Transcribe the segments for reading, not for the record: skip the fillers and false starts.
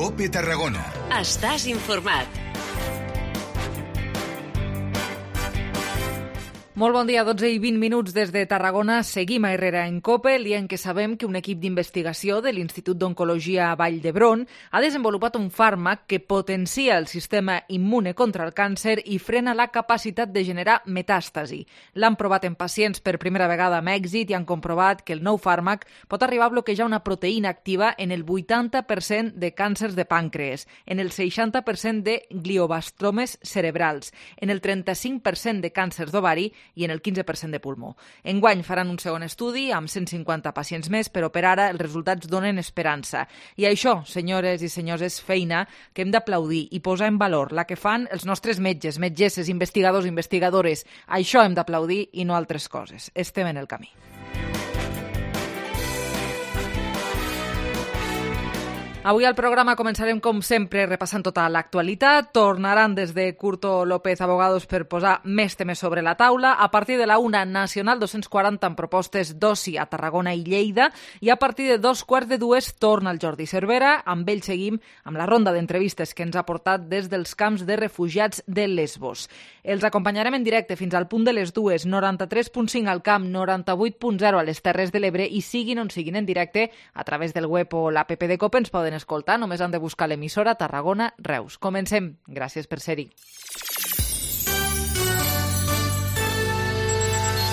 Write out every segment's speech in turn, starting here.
COPE Tarragona. Estàs informat. Molt bon dia, 12 i 20 minuts des de Tarragona. Seguim a Herrera en COPE, dient que sabem que un equip d'investigació de l'Institut d'Oncologia Vall d'Hebron ha desenvolupat un fàrmac que potencia el sistema immune contra el càncer i frena la capacitat de generar metàstasi. L'han provat en pacients per primera vegada amb èxit i han comprovat que el nou fàrmac pot arribar a bloquejar una proteïna activa en el 80% de càncers de pàncrees, en el 60% de glioblastomes cerebrals, en el 35% de càncers d'ovari i en el 15% de pulmó. Enguany faran un segon estudi amb 150 pacients més, però per ara els resultats donen esperança. I això, senyores i senyors, és feina que hem d'aplaudir i posar en valor, la que fan els nostres metges, metgesses, investigadors, investigadores. Això hem d'aplaudir i no altres coses. Estem en el camí. Avui al programa començarem, com sempre, repassant tota l'actualitat. Tornaran des de Curto López Abogados per posar més temes sobre la taula. A partir de la 1, Nacional 240 amb propostes d'oci a Tarragona i Lleida. I a partir de 2:15 torna el Jordi Cervera. Amb ell seguim amb la ronda d'entrevistes que ens ha portat des dels camps de refugiats de Lesbos. Els acompanyarem en directe fins al punt de les 2, 93.5 al camp, 98.0 a les Terres de l'Ebre i siguin on siguin en directe a través del web o l'app de COPE ens poden escoltar, només han de buscar l'emissora Tarragona Reus. Comencem. Gràcies per ser-hi.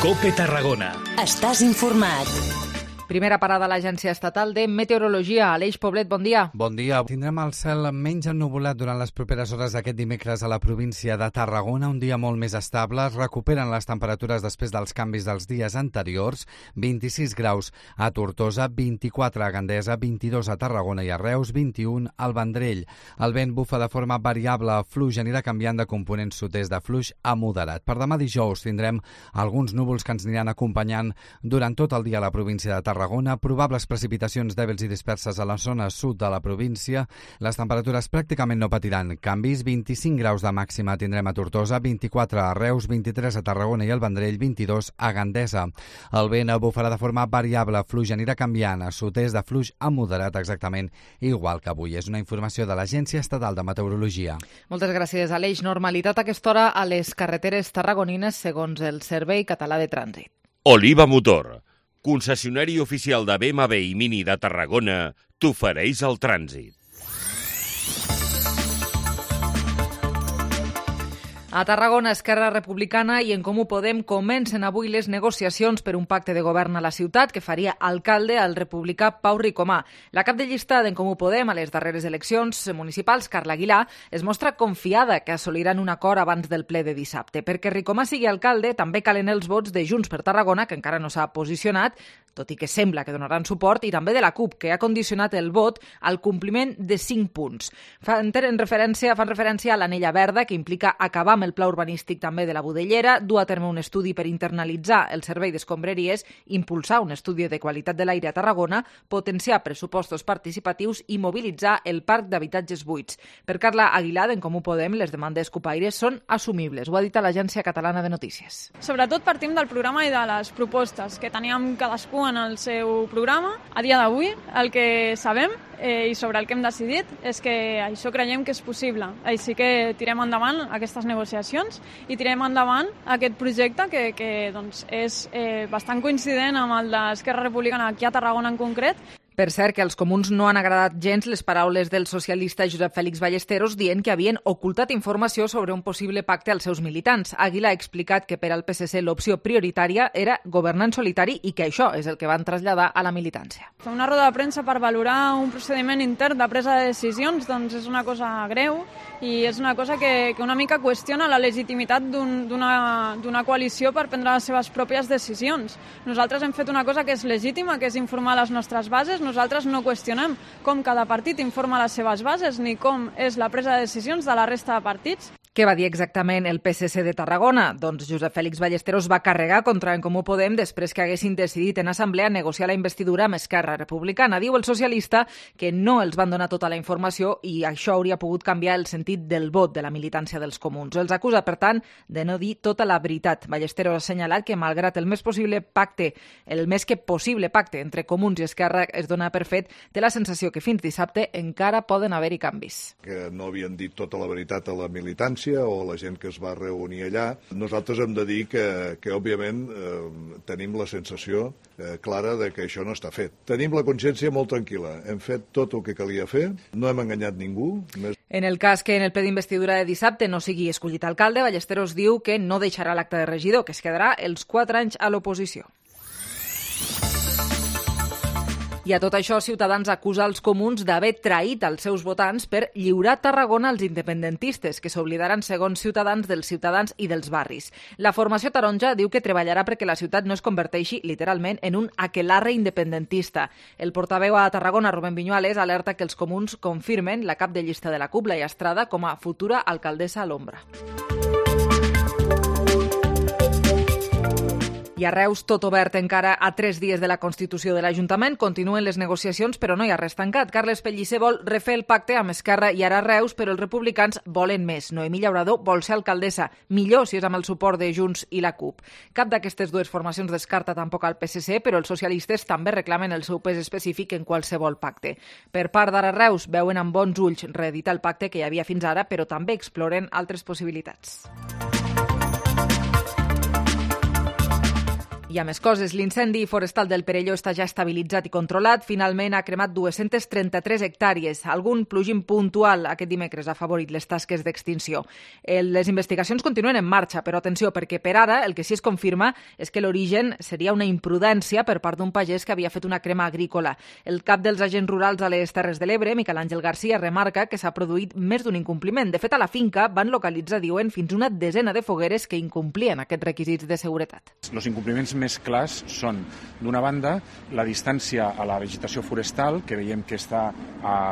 COPE Tarragona. Estàs informat. Primera parada a l'Agència Estatal de Meteorologia. Aleix Poblet, bon dia. Bon dia. Tindrem el cel menys ennuvolat durant les properes hores d'aquest dimecres a la província de Tarragona. Un dia molt més estable. Es recuperen les temperatures després dels canvis dels dies anteriors. 26 graus a Tortosa, 24 a Gandesa, 22 a Tarragona i a Reus, 21 al Vendrell. El vent bufa de forma variable, fluix, anirà canviant de component sud-est de fluix a moderat. Per demà dijous tindrem alguns núvols que ens aniran acompanyant durant tot el dia a la província de Tarragona. Probables precipitacions dèbils i disperses a la zona sud de la província. Les temperatures pràcticament no patiran canvis. 25 graus de màxima tindrem a Tortosa, 24 a Reus, 23 a Tarragona i al Vendrell, 22 a Gandesa. El vent bufarà de forma variable, fluix anirà canviant a sud-est de fluix a moderat, exactament igual que avui. És una informació de l'Agència Estatal de Meteorologia. Moltes gràcies, Aleix. Normalitat a aquesta hora a les carreteres tarragonines segons el Servei Català de Trànsit. Oliva Motor, concessionari oficial de BMW i Mini de Tarragona, t'ofereix el trànsit. A Tarragona, Esquerra Republicana i En Comú Podem comencen avui les negociacions per un pacte de govern a la ciutat que faria alcalde al republicà Pau Ricomà. La cap de llista d'En Comú Podem a les darreres eleccions municipals, Carla Aguilar, es mostra confiada que assoliran un acord abans del ple de dissabte. Perquè Ricomà sigui alcalde també calen els vots de Junts per Tarragona, que encara no s'ha posicionat, tot i que sembla que donaran suport, i també de la CUP, que ha condicionat el vot al compliment de 5 punts. Fan referència a l'anella verda, que implica acabar amb el pla urbanístic també de la Budellera, dur a terme un estudi per internalitzar el servei d'escombraries, impulsar un estudi de qualitat de l'aire a Tarragona, potenciar pressupostos participatius i mobilitzar el parc d'habitatges buits. Per Carla Aguilar, d'En Comú Podem, les demandes cupaires són assumibles. Ho ha dit a l'Agència Catalana de Notícies. Sobretot partim del programa i de les propostes que teníem cadascú en el seu programa. A dia d'avui, el que sabem i sobre el que hem decidit és que això creiem que és possible. Així que tirem endavant aquestes negociacions i tirem endavant aquest projecte que doncs, és bastant coincident amb el d'Esquerra Republicana aquí a Tarragona en concret. Per cert, que als comuns no han agradat gens les paraules del socialista Josep Félix Ballesteros dient que havien ocultat informació sobre un possible pacte als seus militants. Aguilar ha explicat que per al PSC l'opció prioritària era governar en solitari i que això és el que van traslladar a la militància. Fer una roda de premsa per valorar un procediment intern de presa de decisions doncs és una cosa greu i és una cosa que una mica qüestiona la legitimitat d'una coalició per prendre les seves pròpies decisions. Nosaltres hem fet una cosa que és legítima, que és informar les nostres bases. Nosaltres no qüestionem com cada partit informa les seves bases ni com és la presa de decisions de la resta de partits. Què va dir exactament el PSC de Tarragona? Doncs Josep Fèlix Ballesteros va carregar contra En Comú Podem després que haguessin decidit en assemblea negociar la investidura amb Esquerra Republicana. Diu el socialista que no els van donar tota la informació i això hauria pogut canviar el sentit del vot de la militància dels comuns. Els acusa, per tant, de no dir tota la veritat. Ballesteros ha assenyalat que, malgrat el més que possible pacte entre comuns i Esquerra es dona per fet, té la sensació que fins dissabte encara poden haver-hi canvis. Que no havien dit tota la veritat a la militància o la gent que es va reunir allà. Nosaltres hem de dir que òbviament, tenim la sensació clara de que això no està fet. Tenim la consciència molt tranquil·la. Hem fet tot el que calia fer, no hem enganyat ningú. En el cas que en el ple d'investidura de dissabte no sigui escollit alcalde, Ballesteros diu que no deixarà l'acte de regidor, que es quedarà els 4 anys a l'oposició. I a tot això, Ciutadans acusa els comuns d'haver traït els seus votants per lliurar Tarragona als independentistes, que s'oblidaran, segons Ciutadans, dels ciutadans i dels barris. La formació taronja diu que treballarà perquè la ciutat no es converteixi, literalment, en un aquelarre independentista. El portaveu a Tarragona, Rubén Viñuales, alerta que els comuns confirmen la cap de llista de la CUP, Laia Estrada, com a futura alcaldessa a l'ombra. I a Reus, tot obert encara a 3 dies de la constitució de l'Ajuntament. Continuen les negociacions, però no hi ha res tancat. Carles Pellicer vol refer el pacte amb Esquerra i ara Reus, però els republicans volen més. Noemí Llaurador vol ser alcaldessa. Millor si és amb el suport de Junts i la CUP. Cap d'aquestes dues formacions descarta tampoc al PSC, però els socialistes també reclamen el seu pes específic en qualsevol pacte. Per part d'ara Reus, veuen amb bons ulls reeditar el pacte que hi havia fins ara, però també exploren altres possibilitats. Hi ha més coses. L'incendi forestal del Perelló està ja estabilitzat i controlat. Finalment ha cremat 233 hectàrees. Algun plogim puntual aquest dimecres ha afavorit les tasques d'extinció. Les investigacions continuen en marxa, però atenció, perquè per ara el que sí es confirma és que l'origen seria una imprudència per part d'un pagès que havia fet una crema agrícola. El cap dels agents rurals a les Terres de l'Ebre, Miquel Àngel Garcia, remarca que s'ha produït més d'un incompliment. De fet, a la finca van localitzar, diuen, fins una desena de fogueres que incomplien aquests requisits de seguretat. Els incompliments més clars són, d'una banda, la distància a la vegetació forestal, que veiem que està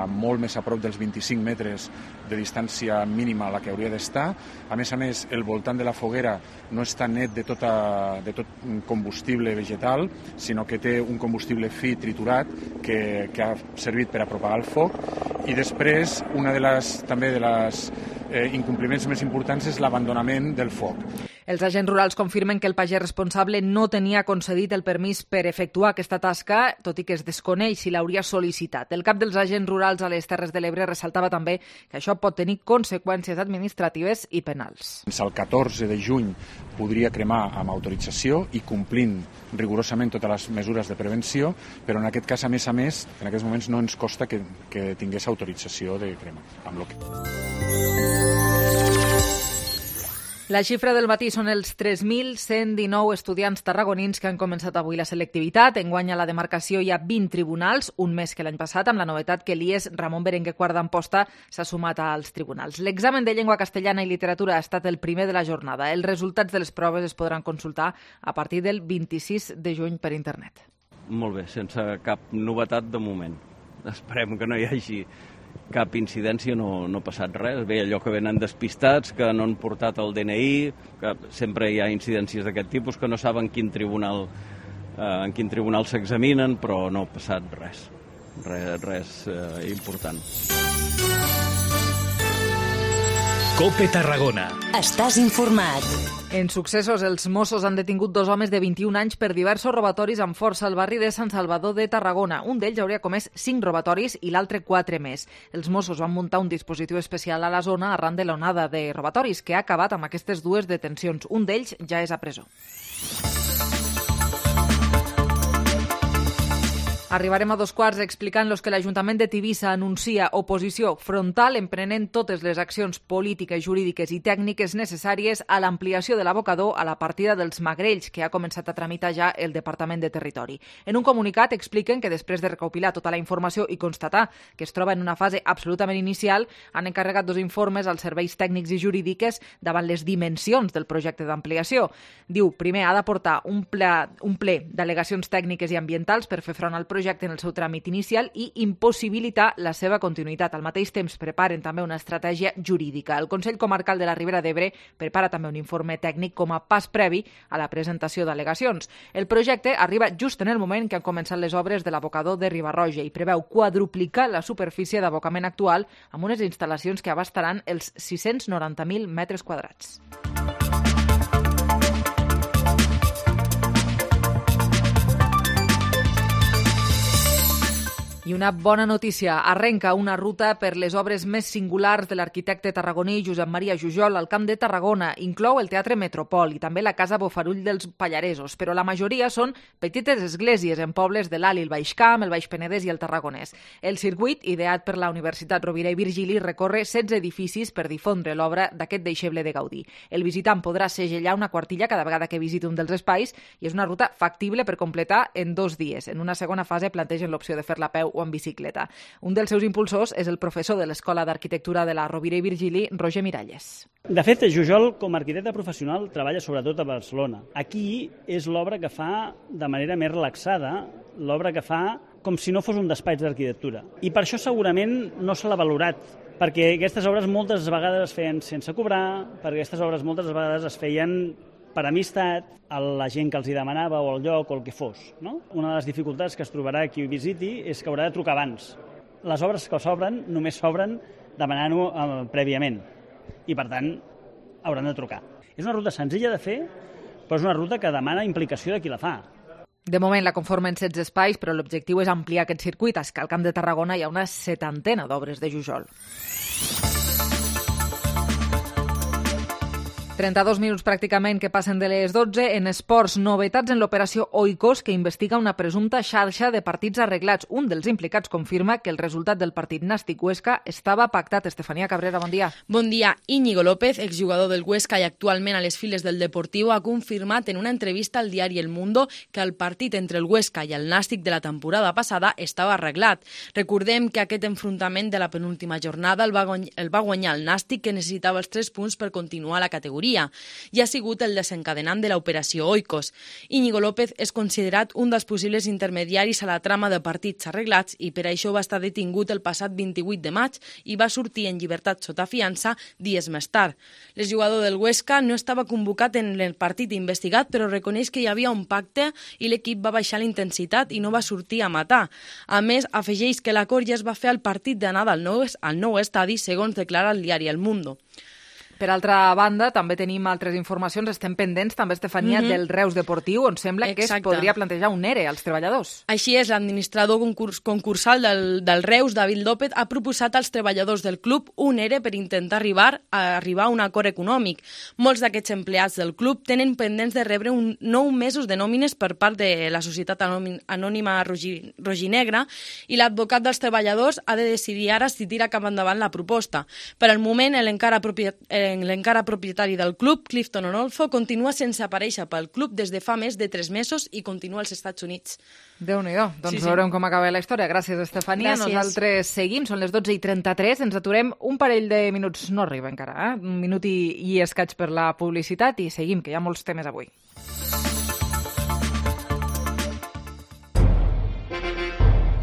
molt més a prop dels 25 metres de distància mínima a la que hauria d'estar. A més, el voltant de la foguera no està net de tot combustible vegetal, sinó que té un combustible fi triturat que ha servit per a propagar el foc. I després, una de les incompliments més importants és l'abandonament del foc. Els agents rurals confirmen que el pagès responsable no tenia concedit el permís per efectuar aquesta tasca, tot i que es desconeix si l'hauria sol·licitat. El cap dels agents rurals a les Terres de l'Ebre ressaltava també que això pot tenir conseqüències administratives i penals. El 14 de juny podria cremar amb autorització i complint rigorosament totes les mesures de prevenció, però en aquest cas, a més, en aquests moments no ens costa que tingués autorització de crema. La xifra del matí són els 3.119 estudiants tarragonins que han començat avui la selectivitat. Enguany a la demarcació hi ha 20 tribunals, un més que l'any passat, amb la novetat que l'IES Ramon Berenguer Quart d'Amposta s'ha sumat als tribunals. L'examen de llengua castellana i literatura ha estat el primer de la jornada. Els resultats de les proves es podran consultar a partir del 26 de juny per internet. Molt bé, sense cap novetat de moment. Esperem que no hi hagi cap incidència, no ha passat res. Bé, allò que venen despistats, que no han portat el DNI, que sempre hi ha incidències d'aquest tipus, que no saben en quin tribunal s'examinen, però no ha passat res important. COPE Tarragona. Estàs informat. En successos, els Mossos han detingut 2 homes de 21 anys per diversos robatoris amb força al barri de Sant Salvador de Tarragona. Un d'ells hauria comès 5 robatoris i l'altre 4 més. Els Mossos van muntar un dispositiu especial a la zona arran de l'onada de robatoris que ha acabat amb aquestes 2 detencions. Un d'ells ja és a presó. Arribarem a 2:15 explicant-los que l'Ajuntament de Tivissa anuncia oposició frontal emprenent totes les accions polítiques, jurídiques i tècniques necessàries a l'ampliació de l'abocador a la partida dels Magrells, que ha començat a tramitar ja el Departament de Territori. En un comunicat expliquen que després de recopilar tota la informació i constatar que es troba en una fase absolutament inicial, han encarregat 2 informes als serveis tècnics i jurídiques davant les dimensions del projecte d'ampliació. Diu, primer, ha d'aportar un ple d'al·legacions tècniques i ambientals per fer front al projecte, projecte en el seu tràmit inicial i impossibilitar la seva continuïtat. Al mateix temps preparen també una estratègia jurídica. El Consell Comarcal de la Ribera d'Ebre prepara també un informe tècnic com a pas previ a la presentació d'al·legacions. El projecte arriba just en el moment que han començat les obres de l'abocador de Riba-roja i preveu quadruplicar la superfície d'abocament actual amb unes instal·lacions que abastaran els 690.000 metres quadrats. I una bona notícia. Arrenca una ruta per les obres més singulars de l'arquitecte tarragoní Josep Maria Jujol al Camp de Tarragona. Inclou el Teatre Metropol i també la Casa Bofarull dels Pallaresos, però la majoria són petites esglésies en pobles de l'Alt i el Baix Camp, el Baix Penedès i el Tarragonès. El circuit, ideat per la Universitat Rovira i Virgili, recorre 16 edificis per difondre l'obra d'aquest deixeble de Gaudí. El visitant podrà segellar una quartilla cada vegada que visiti un dels espais i és una ruta factible per completar en 2 dies. En una segona fase plantegen l'opció de fer-la a peu o en bicicleta. Un dels seus impulsors és el professor de l'Escola d'Arquitectura de la Rovira i Virgili, Roger Miralles. De fet, Jujol, com a arquitecte professional, treballa sobretot a Barcelona. Aquí és l'obra que fa de manera més relaxada, l'obra que fa com si no fos un despatx d'arquitectura. I per això segurament no se l'ha valorat, perquè aquestes obres moltes vegades es feien sense cobrar, perquè aquestes obres moltes vegades es feien per amistat, a la gent que els hi demanava o al lloc o el que fos. No? Una de les dificultats que es trobarà qui ho visiti és que haurà de trucar abans. Les obres que s'obren només s'obren demanant-ho prèviament i, per tant, hauran de trucar. És una ruta senzilla de fer, però és una ruta que demana implicació de qui la fa. De moment la conformen 16 espais, però l'objectiu és ampliar aquest circuit. És que al Camp de Tarragona hi ha una 70 d'obres de Jujol. 32 minuts pràcticament que passen de les 12. En esports, novetats en l'operació Oikos, que investiga una presumpta xarxa de partits arreglats. Un dels implicats confirma que el resultat del partit Nàstic-Huesca estava pactat. Estefania Cabrera, bon dia. Bon dia. Íñigo López, exjugador del Huesca i actualment a les files del Deportiu, ha confirmat en una entrevista al diari El Mundo que el partit entre el Huesca i el Nàstic de la temporada passada estava arreglat. Recordem que aquest enfrontament de la penúltima jornada el va guanyar el Nàstic, que necessitava els 3 punts per continuar a la categoria. I ha sigut el desencadenant de l'operació Oikos. Íñigo López és considerat un dels possibles intermediaris a la trama de partits arreglats i per això va estar detingut el passat 28 de maig i va sortir en llibertat sota fiança dies més tard. L'exjugador del Huesca no estava convocat en el partit investigat, però reconeix que hi havia un pacte i l'equip va baixar la intensitat i no va sortir a matar. A més, afegeix que l'acord ja es va fer al partit d'anada al nou estadi, segons declara el diari El Mundo. Per altra banda, també tenim altres informacions. Estem pendents, també, Estefania, del Reus Deportiu, on sembla que es podria plantejar un ERE als treballadors. Així és, l'administrador concursal del Reus, David López, ha proposat als treballadors del club un ERE per intentar arribar a un acord econòmic. Molts d'aquests empleats del club tenen pendents de rebre 9 mesos de nòmines per part de la Societat Anònima Roginegra i l'advocat dels treballadors ha de decidir ara si tira cap endavant la proposta. Per al moment, l'encara propietari del club, Clifton Onolfo, continua sense aparèixer pel club des de fa més de 3 mesos i continua als Estats Units. Déu-n'hi-do. Doncs veurem com acaba la història. Gràcies, Estefania. Gràcies. Nosaltres seguim, són les 12:33, ens aturem un parell de minuts, no arriba encara, un minut i escaig per la publicitat i seguim, que hi ha molts temes avui.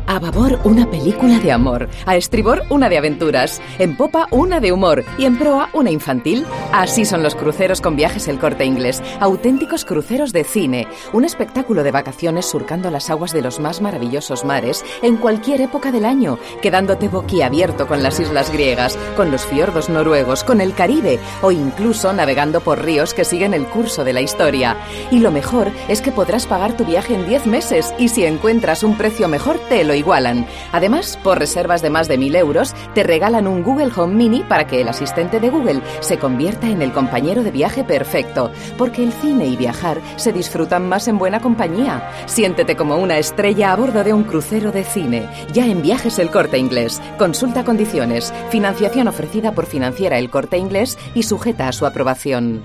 A babor, una película de amor. A estribor, una de aventuras. En popa, una de humor. Y en proa, una infantil. Así son los cruceros con Viajes El Corte Inglés. Auténticos cruceros de cine. Un espectáculo de vacaciones surcando las aguas de los más maravillosos mares en cualquier época del año, quedándote boquiabierto con las islas griegas, con los fiordos noruegos, con el Caribe o incluso navegando por ríos que siguen el curso de la historia. Y lo mejor es que podrás pagar tu viaje en 10 meses y si encuentras un precio mejor te lo igualan. Además, por reservas de más de 1.000 euros, te regalan un Google Home Mini para que el asistente de Google se convierta en el compañero de viaje perfecto, porque el cine y viajar se disfrutan más en buena compañía. Siéntete como una estrella a bordo de un crucero de cine, ya en Viajes El Corte Inglés. Consulta condiciones. Financiación ofrecida por Financiera El Corte Inglés y sujeta a su aprobación.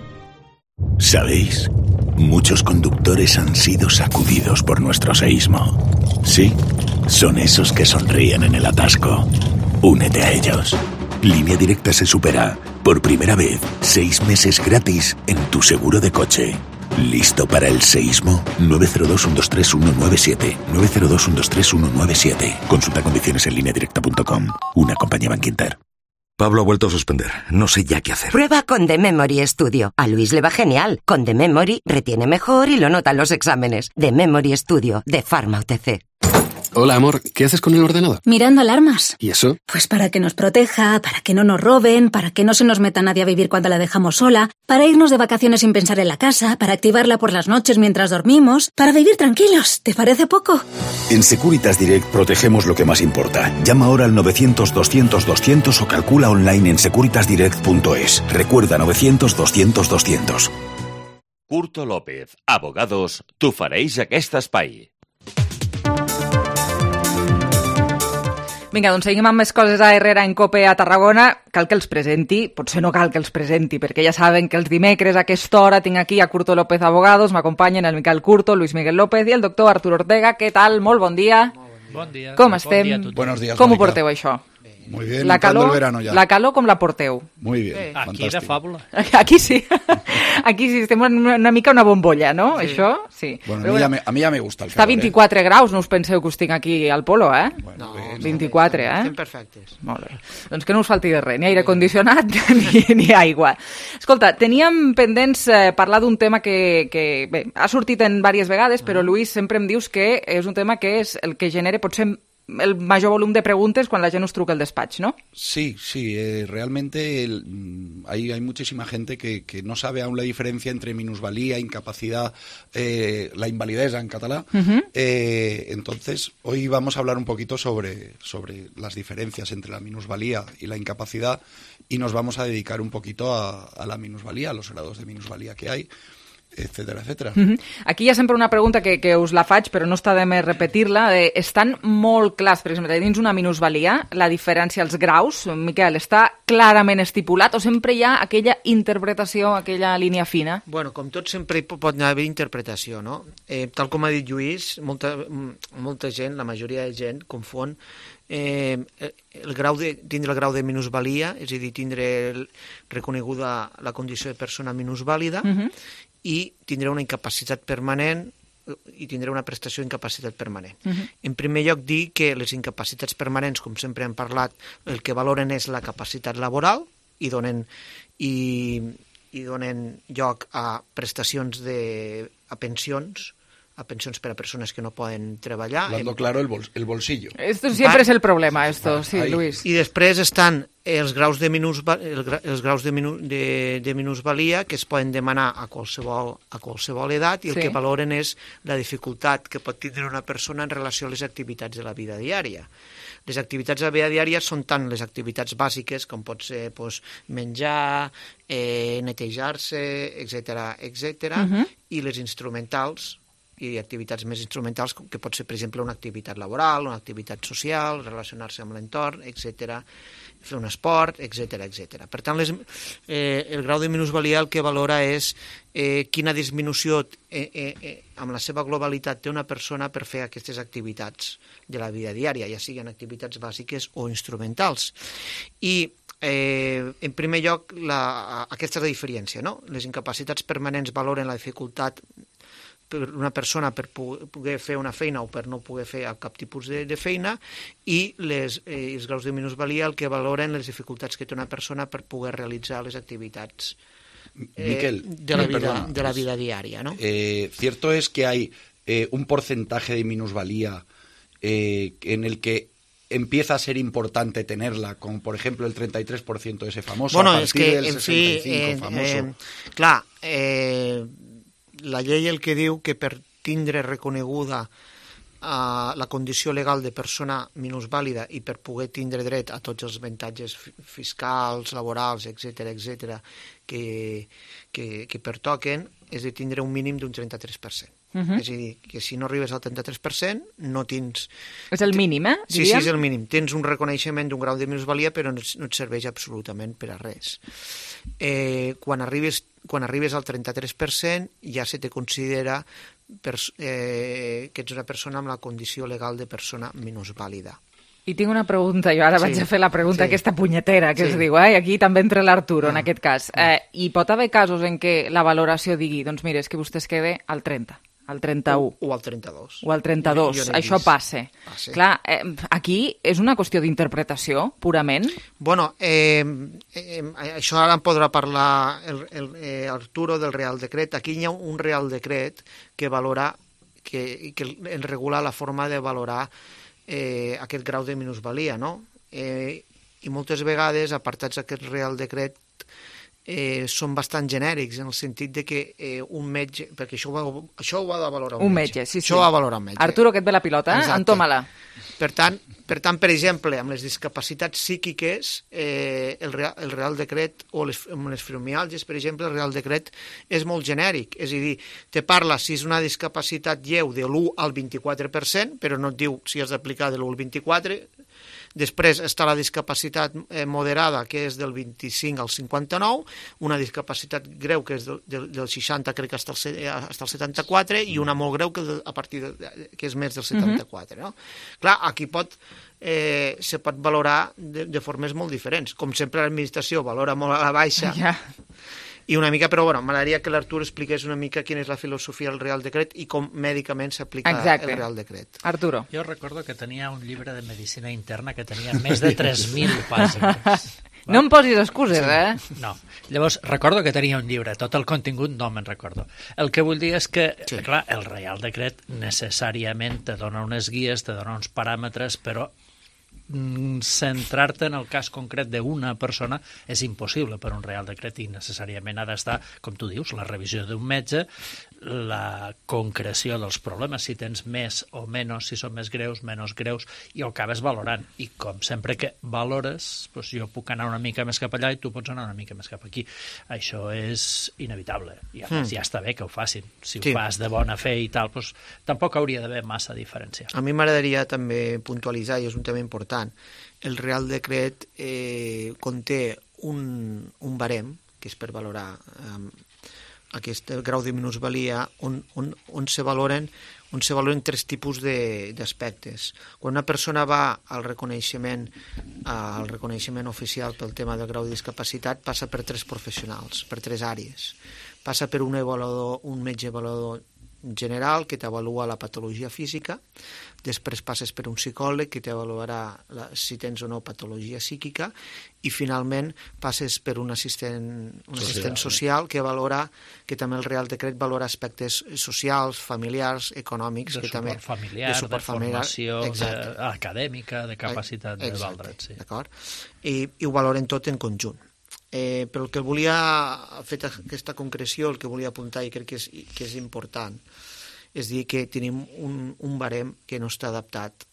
¿Sabéis? Muchos conductores han sido sacudidos por nuestro seísmo. Sí, son esos que sonríen en el atasco. Únete a ellos. Línea Directa se supera. Por primera vez, 6 meses gratis en tu seguro de coche. ¿Listo para el seísmo? 902-123-197. 902-123-197. Consulta condiciones en lineadirecta.com. Una compañía Bankinter. Pablo ha vuelto a suspender. No sé ya qué hacer. Prueba con The Memory Studio. A Luis le va genial. Con The Memory retiene mejor y lo nota en los exámenes. The Memory Studio de Pharma OTC. Hola, amor. ¿Qué haces con el ordenador? Mirando alarmas. ¿Y eso? Pues para que nos proteja, para que no nos roben, para que no se nos meta nadie a vivir cuando la dejamos sola, para irnos de vacaciones sin pensar en la casa, para activarla por las noches mientras dormimos, para vivir tranquilos. ¿Te parece poco? En Securitas Direct protegemos lo que más importa. Llama ahora al 900-200-200 o calcula online en securitasdirect.es. Recuerda 900-200-200. Curto López, abogados, t'ofereix aquest espai. Vinga, doncs seguim amb més coses a Herrera en Cope a Tarragona. Cal que els presenti, potser no cal que els presenti, perquè ja saben que els dimecres a aquesta hora tinc aquí a Curto López Abogados, m'acompanyen el Miquel Curto, Luis Miguel López i el doctor Artur Ortega. Què tal? Molt bon dia. Bon dia. Com estem? Bon dia a Buenos días, Com ho Mónica. porteu, això? Muy bien, La calor, entrando el verano ya. la calor com la porteu? Muy bien, Aquí fantástico. de fàbula. Aquí sí. Aquí sí, estem en una mica una bombolla, no? Sí. Això, sí. Bueno, a mí ya me gusta el Està calor. 24 graus, no us penseu que us tinc aquí al polo, eh? Bueno, 24, eh? Estem perfectes. Molt bé. Doncs que no us falti de res, ni aire condicionat ni aigua. Escolta, teníem pendents parlar d'un tema que bé, ha sortit en diverses vegades, però Luis, sempre em dius que és un tema que és el que genera potser el major volum de preguntes quan la gent us truca al despatx, ¿no? Sí, realmente hay muchísima gente que no sabe aún la diferencia entre minusvalía, incapacidad, la invalidesa en catalán. Entonces, hoy vamos a hablar un poquito sobre las diferencias entre la minusvalía y la incapacidad y nos vamos a dedicar un poquito a la minusvalía, a los grados de minusvalía que hay, etcétera, etcétera. Aquí hi ha sempre una pregunta que us la faig, però no està de més repetir-la. Estan molt clars, per exemple, dins una minusvalia, la diferència als graus, Miquel, està clarament estipulat o sempre hi ha aquella interpretació, aquella línia fina? Bueno, com tot sempre pot haver interpretació, no? Tal com ha dit Lluís, molta gent, la majoria de gent, confon tindre el grau de minusvalia, és a dir, tindre reconeguda la condició de persona minusvàlida, i tindrà una incapacitat permanent i tindrà una prestació d'incapacitat permanent. En primer lloc, dir que les incapacitats permanents, com sempre hem parlat, el que valoren és la capacitat laboral i donen lloc a prestacions a pensions per a persones que no poden treballar. Hablando claro, el bolsillo. Esto siempre es el problema, sí, Luis. I després estan els graus de minusvalia que es poden demanar a qualsevol edat i el que valoren és la dificultat que pot tindre una persona en relació a les activitats de la vida diària. Les activitats de la vida diària són tant les activitats bàsiques, com pot ser menjar, netejar-se, etc., i les instrumentals, i activitats més instrumentals, que pot ser, per exemple, una activitat laboral, una activitat social, relacionar-se amb l'entorn, etc., fer un esport, etc. Per tant, el grau de minusvalia el que valora és quina disminució amb la seva globalitat té una persona per fer aquestes activitats de la vida diària, ja siguin activitats bàsiques o instrumentals. I en primer lloc, aquesta és la diferència, no? Les incapacitats permanents valoren la dificultat per una persona per poder fer una feina o per no poder fer cap tipus de feina, i els graus de minusvalia el que valoren les dificultats que té una persona per poder realitzar les activitats Miquel, de la vida diaria, ¿no? Cierto es que hay un porcentaje de minusvalía en el que empieza a ser importante tenerla, como por ejemplo el 33% de ese famoso, a partir del 65% famoso. Clar, la llei el que diu que per tindre reconeguda la condició legal de persona minusvàlida i per poder tindre dret a tots els avantatges fiscals, laborals, etc., que pertoquen, és de tindre un mínim d'un 33%. És a dir, que si no arribes al 33%, no tens... És el mínim, Sí, és el mínim. Tens un reconeixement d'un grau de minusvalia, però no et serveix absolutament per a res. Quan arribes al 33%, ja se te considera que ets una persona amb la condició legal de persona minusvàlida. I tinc una pregunta, jo ara vaig a fer la pregunta aquesta punyetera que es diu, i aquí també entra l'Arturo en aquest cas. Hi pot haver casos en què la valoració digui, doncs mira, és que vostè es quede al 30, al 31. O al 32. O al 32, això passa. Clar, aquí és una qüestió d'interpretació, purament? Bueno, això ara en podrà parlar Arturo del Real Decret. Aquí hi ha un Real Decret que valora, que en regula la forma de valorar aquest grau de minusvalia, no? I moltes vegades, apartats d'aquest Real Decret, són bastant genèrics, en el sentit de que un metge, perquè això ho ha de valorar un metge. Això ho ha de valorar un metge. Arturo, que et ve la pilota, entoma-la. Per tant, per exemple, amb les discapacitats psíquiques, el Real Decret, o amb les fibromiàlgies, per exemple, el Real Decret és molt genèric. És a dir, te parla si és una discapacitat lleu de l'1 al 24%, però no et diu si has d'aplicar de l'1 al 24%. Després està la discapacitat moderada, que és del 25 al 59, una discapacitat greu, que és del 60, crec que hasta el 74, i una molt greu, que és més del 74. No? Clar, aquí se pot valorar de formes molt diferents. Com sempre, l'administració valora molt a la baixa, i una mica, però bueno, m'agradaria que l'Artur expliqués una mica quina és la filosofia del Real Decret i com mèdicament s'aplica el Real Decret. Arturo. Jo recordo que tenia un llibre de medicina interna que tenia més de 3.000 pàgines. No em posis excuses, No. Llavors, recordo que tenia un llibre, tot el contingut no me'n recordo. El que vull dir és que, clar, el Real Decret necessàriament te dona unes guies, te dona uns paràmetres, però centrar-te en el cas concret d'una persona és impossible per un Real Decret i necessàriament ha d'estar, com tu dius, la revisió d'un metge, la concreció dels problemes, si tens més o menys, si són més greus, menys greus, i ho acabes valorant. I com sempre que valores, doncs jo puc anar una mica més cap allà i tu pots anar una mica més cap aquí. Això és inevitable. I a més ja està bé que ho facin. Si ho fas de bona fe i tal, doncs tampoc hauria d'haver massa diferència. A mi m'agradaria també puntualitzar, i és un tema important, el Real Decret conté un barem, que és per valorar aquest grau de minusvalia, on se valoren tres tipus d'aspectes. Quan una persona va al reconeixement oficial pel tema del grau de discapacitat, passa per tres professionals, per tres àrees. Passa per un metge avaluador general que t'avalua la patologia física, després passes per un psicòleg que t'avaluarà si tens o no patologia psíquica, i finalment passes per un assistent social que valora, que també el Real Decret valora aspectes socials, familiars, econòmics, de suport familiar, de formació acadèmica, de capacitat de valdre't. D'acord? I ho valoren tot en conjunt. Però el que volia, fet aquesta concreció, el que volia apuntar, i crec que és important, és dir que tenim un barem que no està adaptat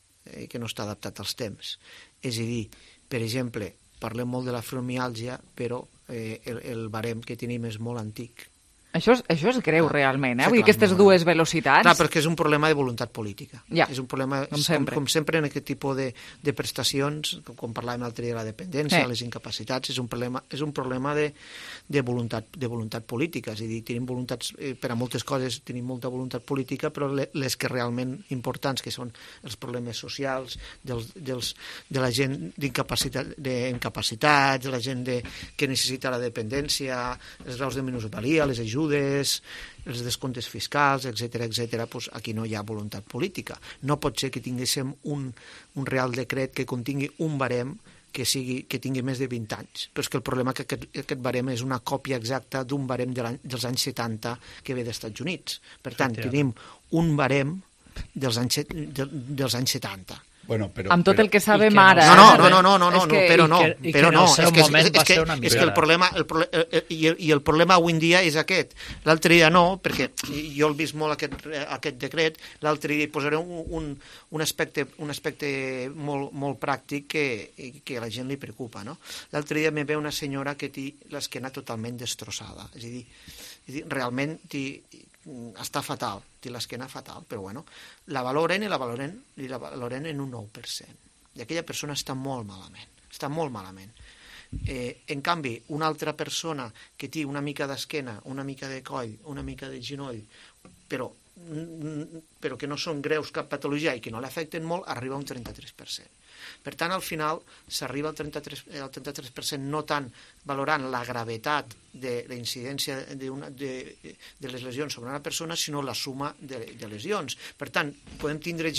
als temps. És a dir, per exemple, parlem molt de la fibromiàlgia, però el barem que tenim és molt antic. Això és greu, realment, Vull dir, aquestes dues velocitats... Clar, perquè és un problema de voluntat política. És un problema, com sempre en aquest tipus de prestacions, com parlàvem l'altre dia de la dependència, les incapacitats, és un problema de voluntat política. És a dir, tenim voluntats, per a moltes coses tenim molta voluntat política, però les que realment importants, que són els problemes socials, de la gent d'incapacitats, de la gent que necessita la dependència, els graus de minusvalia, les ajudes, els descomptes fiscals, etc., doncs aquí no hi ha voluntat política. No pot ser que tinguéssim un Real Decret que contingui un barem que tingui més de 20 anys. Però és que el problema és que aquest barem és una còpia exacta d'un barem dels anys 70 que ve dels Estats Units. Per tant, tenim un barem dels anys 70. Bueno, amb tot el que sabem ara... És que el problema avui en dia és aquest. L'altre dia no, perquè jo he vist molt aquest decret, l'altre dia posaré un aspecte molt pràctic que a la gent li preocupa. L'altre dia me ve una senyora que té l'esquena totalment destrossada. És a dir, realment està fatal, té l'esquena fatal, però bueno, la valoren en un 9%. I aquella persona està molt malament. En canvi, una altra persona que té una mica d'esquena, una mica de coll, una mica de genoll, però que no són greus cap patologia i que no l'afecten molt, arriba a un 33%. Per tant, al final s'arriba al 33% no tant valorant la gravetat de la incidència de les lesions sobre una persona, sinó la suma de lesions. Per tant, podem tindre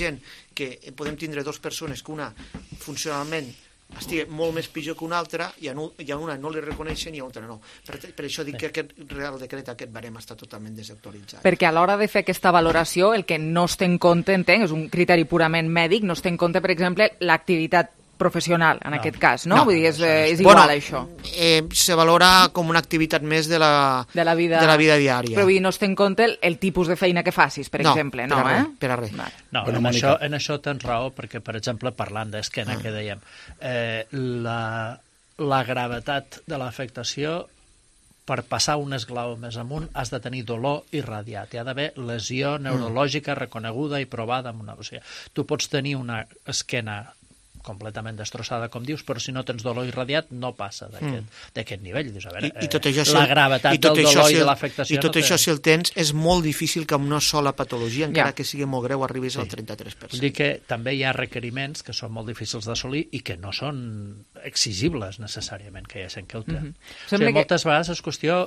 dues persones que una funcionalment estigui molt més pitjor que una altra i a una no li reconeixen i a l'altra no. Per això dic que aquest Real Decret, aquest barem, està totalment desactualitzat. Perquè a l'hora de fer aquesta valoració, el que no es té en compte, entenc, és un criteri purament mèdic, no es té en compte, per exemple, l'activitat professional, en aquest cas, no? Vull dir, és igual, això. Se valora com una activitat més de la vida diària. Però vull dir, no es té en compte el tipus de feina que facis, per exemple, no? Per a res. No, en això tens raó, perquè, per exemple, parlant d'esquena, que dèiem, la gravetat de l'afectació, per passar un esglaó més amunt, has de tenir dolor irradiat. Hi ha d'haver lesió neurològica reconeguda i provada. O sigui, tu pots tenir una esquena completament destrossada, com dius, però si no tens dolor irradiat no passa d'aquest nivell. Dius, a veure, la gravetat del dolor i de l'afectació... I tot això, si el tens, és molt difícil que amb una sola patologia, encara que sigui molt greu, arribis al 33%. Vull dir que també hi ha requeriments que són molt difícils d'assolir i que no són exigibles necessàriament que hi ha gent que ho té. O sigui, moltes vegades és qüestió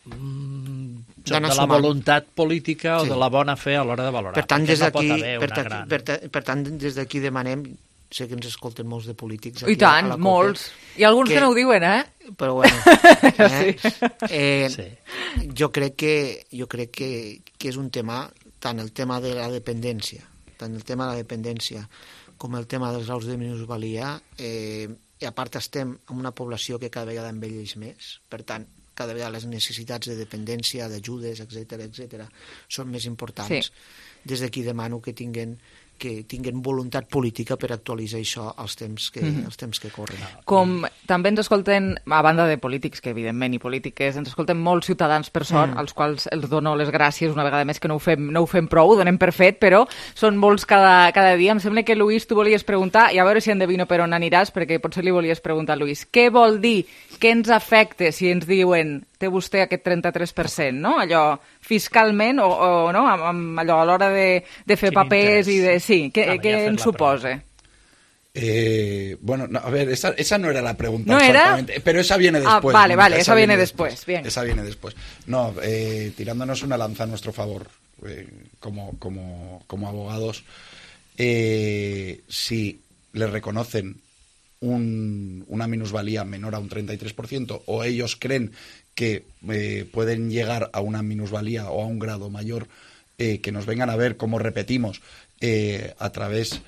de la voluntat política o de la bona fe a l'hora de valorar. Per tant, des d'aquí demanem, sé que ens escolten molts de polítics aquí. I tant, molts. Hi ha alguns que no ho diuen, Però bueno. Jo crec que és un tema, tant el tema de la dependència, com el tema dels graus de minusvalia, i a part estem en una població que cada vegada envelleix més, per tant, cada vegada les necessitats de dependència, d'ajudes, etc., són més importants. Des d'aquí demano que tinguin voluntat política per actualitzar això als temps que corren. Com també ens escolten, a banda de polítics, que evidentment i polítiques, ens escolten molts ciutadans per sort, als quals els dono les gràcies una vegada més, que no ho fem prou, ho donem per fet, però són molts cada dia. Em sembla que, Lluís, tu volies preguntar, i a veure si endevino per on aniràs, perquè potser li volies preguntar, Lluís, què vol dir, què ens afecta si ens diuen té vostè aquest 33%, no? Allò fiscalment o no? Allò a l'hora de fer papers i de... Sí, què ens suposa? Bueno, no, a ver, esa no era la pregunta. ¿No exactamente, era? Pero esa viene después. Vale, esa viene después. Bien. Esa viene después. No, tirándonos una lanza a nuestro favor, como abogados, si le reconocen una minusvalía menor a un 33% o ellos creen que pueden llegar a una minusvalía o a un grado mayor, que nos vengan a ver cómo repetimos a través,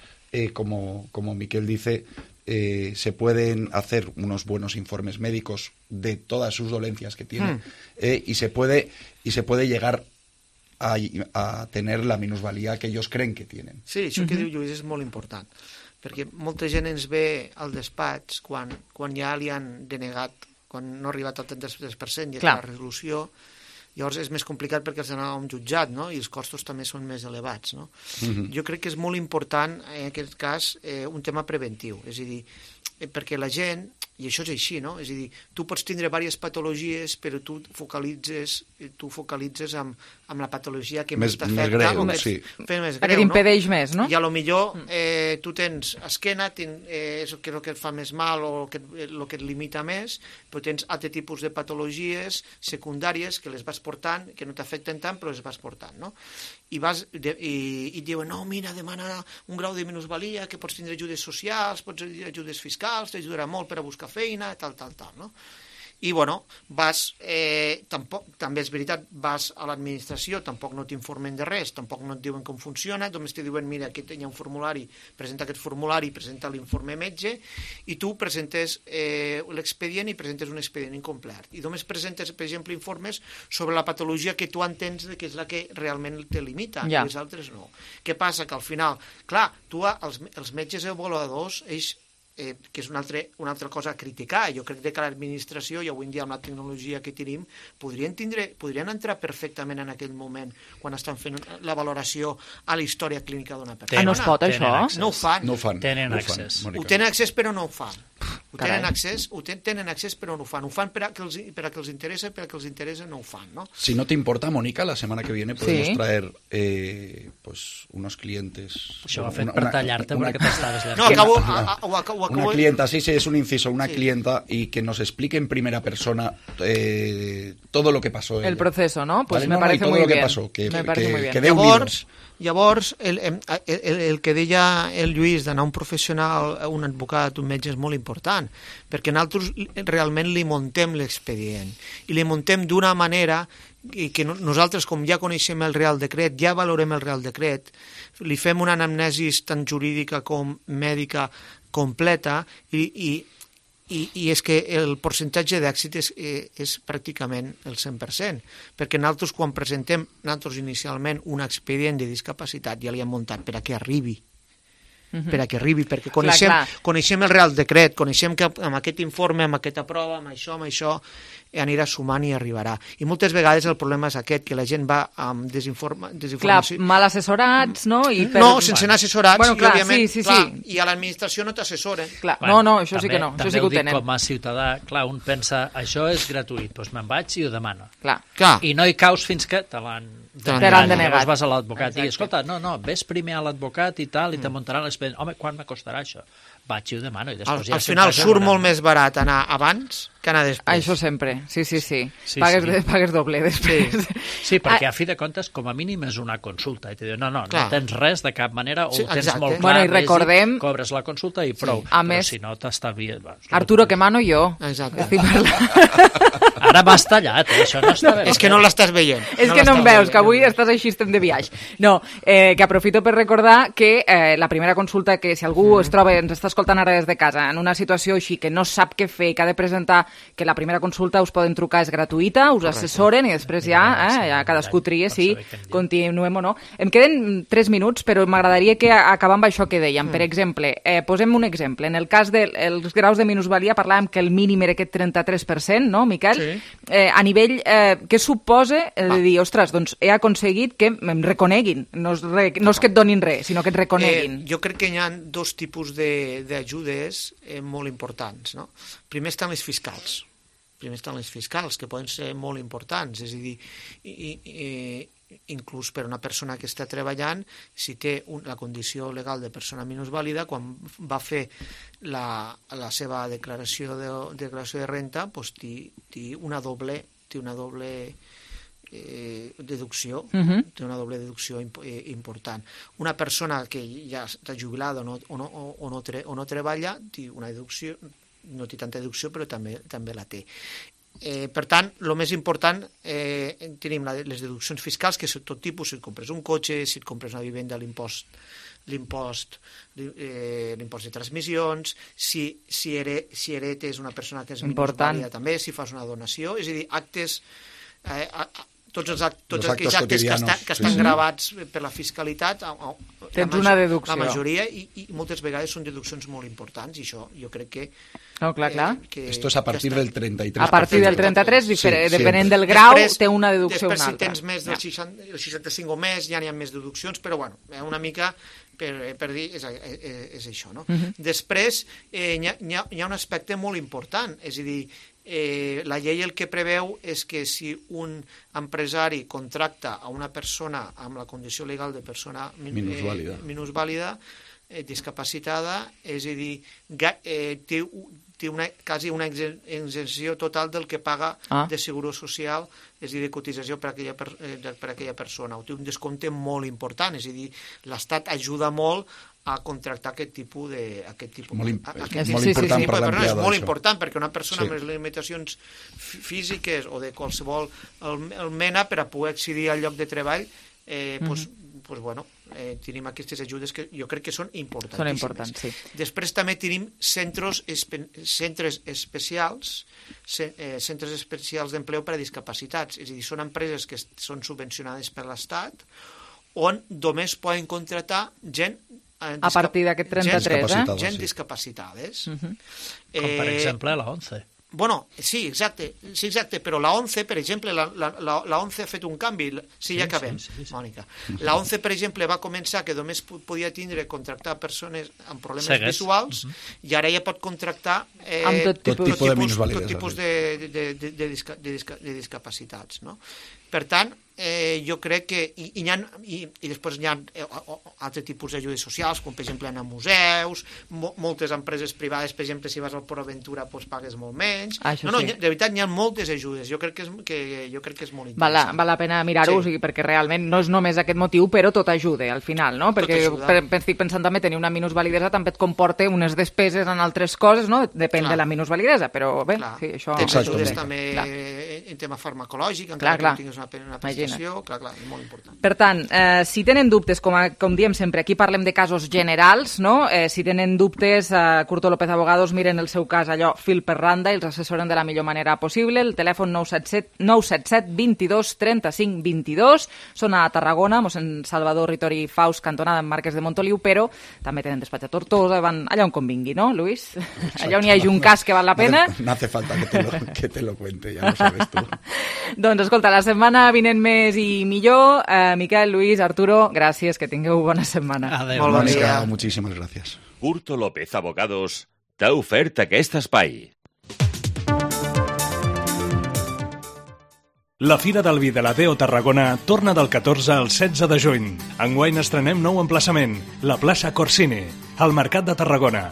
como Miquel dice, se pueden hacer unos buenos informes médicos de todas sus dolencias que tienen y se puede llegar a tener la minusvalía que ellos creen que tienen. Sí, això que diu Lluís és molt important, perquè molta gent ens ve al despatx quan ja li han denegat, quan no ha arribat al 33% i la resolució, llavors és més complicat perquè els anava a un jutjat, no? I els costos també són més elevats, no? Jo crec que és molt important, en aquest cas, un tema preventiu, és a dir, perquè la gent, i això és així, no? És a dir, tu pots tindre diverses patologies, però tu focalitzes amb la patologia que més t'afecta, que t'impedeix més, no? I a lo millor tu tens esquena, és el que et fa més mal o el que et limita més, però tens altre tipus de patologies secundàries que les vas portant, que no t'afecten tant, però les vas portant, no? I et diuen, no, mira, demana un grau de minusvalia, que pots tindre ajudes socials, pots tindre ajudes fiscals, t'ajudarà molt per a buscar feina, tal, no? I, bueno, també és veritat, vas a l'administració, tampoc no t'informen de res, tampoc no et diuen com funciona, només te diuen, mira, aquí hi ha un formulari, presenta aquest formulari, presenta l'informe metge, i tu presentes l'expedient i presentes un expedient incomplet. I només presentes, per exemple, informes sobre la patologia que tu entens que és la que realment te limita, i les altres no. Què passa? Que al final, clar, tu els metges avaluadors, ells que és una altra cosa a criticar. Jo crec que l'administració, i avui en dia amb la tecnologia que tenim, podrien entrar perfectament en aquell moment quan estan fent la valoració a la història clínica d'una persona. No es pot, això? No ho fan. Tenen accés. Ho tenen accés, però no ho fan. Tenen accés però no ho fan. Ho fan per a que els interessa, per a que els interessa no ho fan, ¿no? Si no te importa, Mónica, la semana que viene podemos traer unos clientes. Això ho ha fet per tallar-te perquè t'estaves llençant. No, acabo... Una clienta, sí, es un inciso, una clienta y que nos explique en primera persona todo lo que pasó. El proceso, ¿no? Pues me parece muy bien. Me parece muy bien. Llavors, el que deia el Lluís d'anar a un professional, un advocat, un metge, és molt important, perquè nosaltres realment li muntem l'expedient, i li muntem d'una manera que nosaltres, com ja coneixem el Real Decret, ja valorem el Real Decret, li fem una anamnesi tant jurídica com mèdica completa, i és que el percentatge d'èxit és pràcticament el 100%, perquè nosaltres quan presentem inicialment un expedient de discapacitat ja li hem muntat per a que arribi, perquè coneixem el Real Decret, coneixem que amb aquest informe, amb aquesta prova, amb això, anirà sumant i arribarà. I moltes vegades el problema és aquest, que la gent va amb desinformació. Clar, mal assessorats, no? No, sense anar assessorats, bueno, clar, i òbviament, sí. I a l'administració no t'assessoren. No, això sí que no, això sí que ho tenen. També ho dic com a ciutadà, clar, un pensa, això és gratuït, doncs me'n vaig i ho demano. Clar. I no hi caus fins que te l'han denegat. Llavors vas a l'advocat i, escolta, no, ves primer a l'advocat i tal, i te muntarà l'expedient. Home, quan m'acostarà això? Vaig i ho demano. Al final surt molt més barat anar abans que anar després. Això sempre, sí. Pagues doble després. Sí, perquè a fi de comptes, com a mínim és una consulta. I te diu, no tens res de cap manera, o ho tens molt clar, i recordem... cobres la consulta i prou. Però si no, t'estalvies... Arturo, que mano jo. Exacte. Ara m'has tallat, això no està bé. És que no l'estàs veient. És que no em veus, que avui estàs així, estem de viatge. No, que aprofito per recordar que la primera consulta, que si algú es troba, ens està escoltant ara des de casa, en una situació així que no sap què fer, que ha de presentar, que la primera consulta us poden trucar, és gratuïta, us assessoren i després ja cadascú tria si continuem o no. Em queden 3 minuts, però m'agradaria que acabar amb això que dèiem. Per exemple, posem un exemple. En el cas dels graus de minusvalia parlàvem que el mínim era aquest 33%, no, Miquel? Sí. A nivell, què suposa de dir, ostres, doncs he aconseguit que em reconeguin, no és que et donin res, sinó que et reconeguin. Jo crec que hi ha 2 tipus d'ajudes molt importants, no? Primer estan les fiscals, que poden ser molt importants, és a dir, inclús per una persona que està treballant, si té la condició legal de persona minusvàlida, quan va fer la seva declaració de renta, doncs té una doble deducció, té una doble deducció important. Una persona que ja està jubilada o no treballa, té una deducció, no té tanta deducció, però també la té. Per tant, el més important, tenim les deduccions fiscals, que són tot tipus, si et compres un cotxe, si et compres una vivenda, l'impost de transmissions, si heretes una persona que és minusvàlida també, si fas una donació, és a dir, actes... tots aquells actes que estan gravats per la fiscalitat, tens una deducció. La majoria, i moltes vegades són deduccions molt importants, i això jo crec que... No, clar. Esto es a partir del 33%. A partir del 33%, depenent del grau, té una deducció una altra. Després, si tens més del 65 o més, ja n'hi ha més deduccions, però bueno, una mica per dir és això, no? Després, hi ha un aspecte molt important, és a dir, la llei el que preveu és que si un empresari contracta a una persona amb la condició legal de persona minusvàlida, discapacitada, és a dir, té quasi una exenció total del que paga de seguro social, és a dir, de cotització per aquella persona. Té un descompte molt important, és a dir, l'Estat ajuda molt a contractar aquest tipus de... Molt important per l'empleado. És molt important, perquè una persona amb les limitacions físiques o de qualsevol mena per a poder accedir al lloc de treball, tenim aquestes ajudes que jo crec que són importantíssimes. Són importants, sí. Després també tenim centres especials d'empleo per a discapacitats, és a dir, són empreses que són subvencionades per l'Estat, on només poden contractar gent a partir d'aquest 33, gent discapacitades. Com per exemple la ONCE. Bueno, sí, exacte, però la ONCE, per exemple, la ONCE ha fet un canvi, ja acabem, Mònica. La ONCE, per exemple, va començar que només podia contractar persones amb problemes visuals i ara ja pot contractar tot tipus de discapacitats, no? Per tant, jo crec que i després hi ha altres tipus d'ajudes socials, com per exemple anar a museus, moltes empreses privades, per exemple, si vas al Port Aventura pagues molt menys. De veritat, hi ha moltes ajudes. Jo crec que és molt interessant. Val la pena mirar-ho, perquè realment no és només aquest motiu, però tot ajuda al final, no? Perquè estic pensant també tenir una minusvalidesa també et comporta unes despeses en altres coses, no? Depèn de la minusvalidesa, però bé, això... Tens ajudes també en tema farmacològic, encara que no tinguis una prestació, clar, és molt important. Per tant, si tenen dubtes, com diem sempre, aquí parlem de casos generals, no? Si tenen dubtes, Curto López Abogados miren el seu cas allò fil per randa i els assessoren de la millor manera possible. El telèfon 977 22 35 22. Són a Tarragona, mossèn Salvador Ritori Faus, cantonada en Marques de Montoliu, però també tenen despatx a Tortosa, van allà on convingui, no, Luis? Allà on hi hagi un cas que val la pena. No hace falta que te lo cuente, ya lo sabes tú. Doncs escolta, la setmana vinent més i millor. Miquel, Luis, Arturo, gràcies, que tingueu bona setmana. Adéu. Molt bon dia. Moltíssimes gràcies. Curto López Abogados t'ha ofert aquest espai. La Fira del Vi de la Deo Tarragona torna del 14 al 16 de juny. Enguany estrenem nou emplaçament, la plaça Corsini, al Mercat de Tarragona.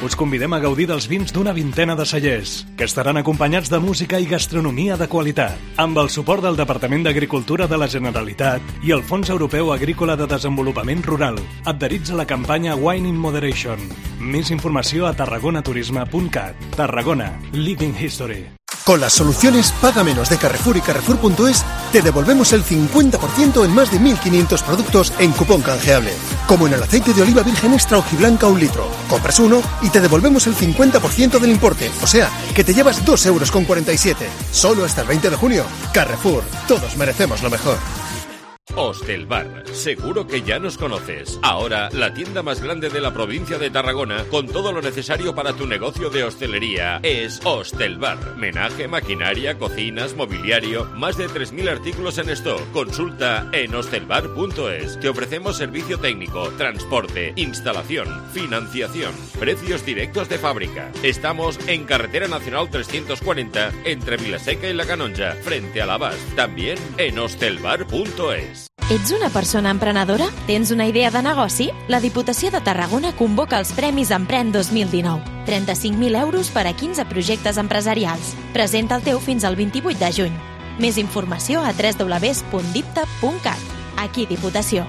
Us convidem a gaudir dels vins d'una vintena de cellers, que estaran acompanyats de música i gastronomia de qualitat, amb el suport del Departament d'Agricultura de la Generalitat i el Fons Europeu Agrícola de Desenvolupament Rural, adherits a la campanya Wine in Moderation. Més informació a tarragonaturisme.cat. Tarragona, Living History. Con las soluciones Paga Menos de Carrefour y Carrefour.es te devolvemos el 50% en más de 1.500 productos en cupón canjeable. Como en el aceite de oliva virgen extra hojiblanca 1 litro. Compras uno y te devolvemos el 50% del importe. O sea, que te llevas 2,47 €. Solo hasta el 20 de junio. Carrefour. Todos merecemos lo mejor. Hostelbar, seguro que ya nos conoces. Ahora, la tienda más grande de la provincia de Tarragona, con todo lo necesario para tu negocio de hostelería, es Hostelbar. Menaje, maquinaria, cocinas, mobiliario, más de 3.000 artículos en stock. Consulta en hostelbar.es. Te ofrecemos servicio técnico, transporte, instalación, financiación, precios directos de fábrica. Estamos en Carretera Nacional 340, entre Vilaseca y La Canonja, frente a l'Abast. También en hostelbar.es. Ets una persona emprenedora? Tens una idea de negoci? La Diputació de Tarragona convoca els Premis Empren 2019. 35.000 euros per a 15 projectes empresarials. Presenta el teu fins al 28 de juny. Més informació a www.dipta.cat. Aquí Diputació.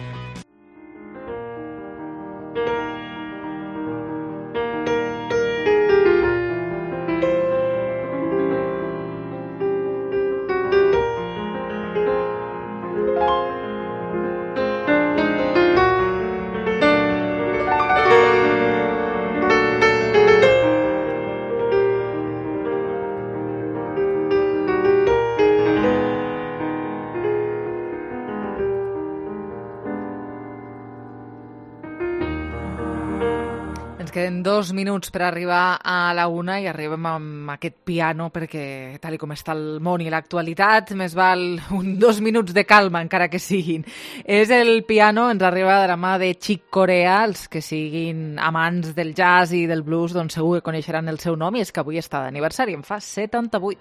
Queden 2 minuts per arribar a la 1 i arribem amb aquest piano perquè, tal com està el món i l'actualitat, més val 2 minuts de calma, encara que siguin. És el piano, ens arriba de la mà de Chick Corea. Els que siguin amants del jazz i del blues, doncs segur que coneixeran el seu nom, i és que avui està d'aniversari, en fa 78.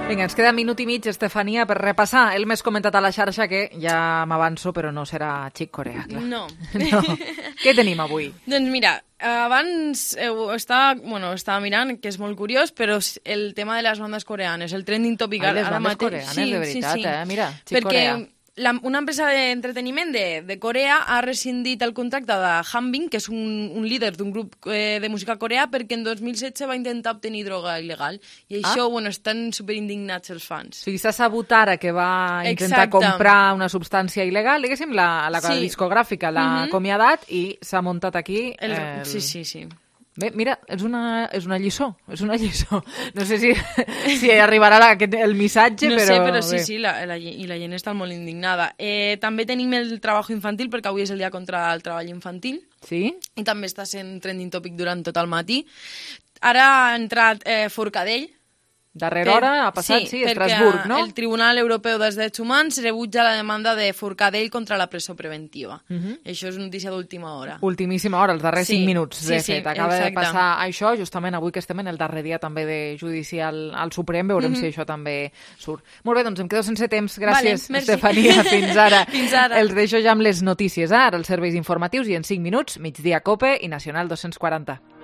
Vinga, ens queda minut i mig, Estefania, per repassar el més comentat a la xarxa, que ja m'avanço, però no serà Chick Corea, clar. No. Què tenim avui? Doncs mira, abans estava mirant, que és molt curiós, però el tema de les bandes coreanes, el trending topic les bandes coreanes, de veritat, mira, Chick Corea. Perquè una empresa d'entreteniment de Corea ha rescindit el contracte de Hanbin, que és un líder d'un grup de música coreà, perquè en 2016 va intentar obtenir droga il·legal. I això, estan superindignats els fans. O sigui, s'ha sabut ara que va intentar comprar una substància il·legal, diguéssim, la discogràfica l'ha acomiadat i s'ha muntat aquí... Sí. Bé, mira, és una lliçó, No sé si arribarà el missatge, no però... No sé, però sí, i la gent està molt indignada. També tenim el treball infantil, perquè avui és el dia contra el treball infantil. Sí? I també està sent trending topic durant tot el matí. Ara ha entrat Forcadell. Darrera hora ha passat, sí, Estrasburg, no? El Tribunal Europeu dels Drets Humans rebutja la demanda de Forcadell contra la presó preventiva. Això és notícia d'última hora. Ultimíssima hora, els darrers 5 minuts, de fet. Acaba de passar això, justament avui que estem en el darrer dia també de judici al Suprem, veurem si això també surt. Molt bé, doncs em quedo sense temps. Gràcies, Estefania, fins ara. Els deixo ja amb les notícies, ara els serveis informatius i en 5 minuts, Migdia Cope i Nacional 240.